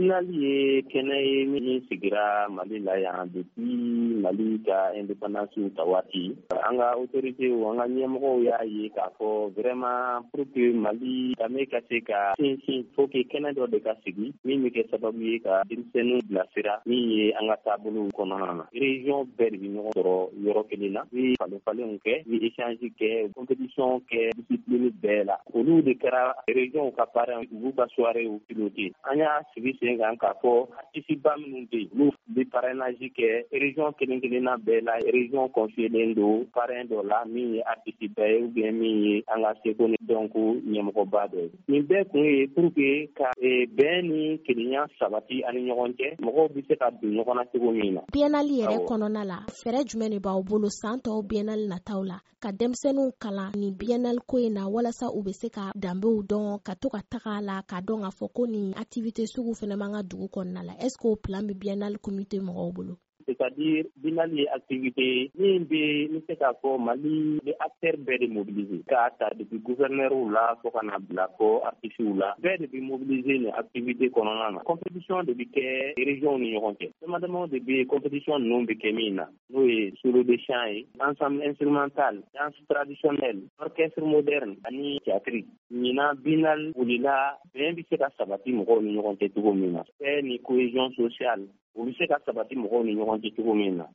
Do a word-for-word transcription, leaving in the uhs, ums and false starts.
Biennale ye kɛnɛ ye min sigira Mali la yan depuis Mali ka indépendance ta waati. An ka autorités, an ka ɲɛmɔgɔw y'a ye k'a fɔ vraiment, pour que Mali danbe ka se ka sinsin, faut que kɛnɛ dɔ de ka sigi min bɛ kɛ sababu ye ka denmisɛnninw bilasira min ye an ka taabolow kɔnɔna na. Région bɛɛ de bɛ ɲɔgɔn sɔrɔ yɔrɔ kelen na, bi falen falenw kɛ, bi échange kɛ, compétition kɛ, discipline bɛɛ la. Olu de kɛra région ka parrain, u b'u ka soirée piloter. An y'a sigi sen kan k'a fɔ artiste ba minnu bɛ yen, olu bɛ parrainage kɛ région kelen kelenna bɛɛ la. Région confiélen don parrain dɔ la min ye artiste ba ye ou bien min ye an ka seko ni dɔnko ɲɛmɔgɔba dɔ ye. Nin bɛɛ kun ye pour que ka bɛn ni kelenya sabati ani ɲɔgɔn cɛ, mɔgɔw bɛ se ka don ɲɔgɔn na cogo min na. Biennale yɛrɛ kɔnɔna la, fɛɛrɛ jumɛn de b'aw bolo san tɔw biennale nataw la ka denmisɛnninw kalan nin biennale ko in na, walasa u bɛ se ka danbew dɔn, ka to ka taga a la, k'a dɔn k'a fɔ ko nin activité sugu fana b'an ka dugu kɔnɔna la? Est ce que o plan bɛ biennale comité mɔgɔw bolo? C'est-à-dire, biennale ye activité min bɛ, n bɛ se k'a fɔ, Mali bɛ acteur bɛɛ de mobiliser, k'a ta depuis gouverneur la fo ka na bila fɔ artistes la, bɛɛ de bɛ mobiliser nin activité kɔnɔna na. Compétition de bɛ kɛ région ni ɲɔgɔn cɛ, dama damaw de bɛ compétition ninnu bɛ kɛ min na, n'o ye solo de chant ye, ensemble instrumental, danse traditionnelle, orchestre moderne ani théâtre. Ɲinan biennale wulila bɛn bɛ se ka sabati mɔgɔw ni ɲɔgɔn cɛ cogo min na, paix ni cohésion sociale, o bɛ se ka sabati mɔgɔw ni ɲɔgɔn cɛ cogo min na.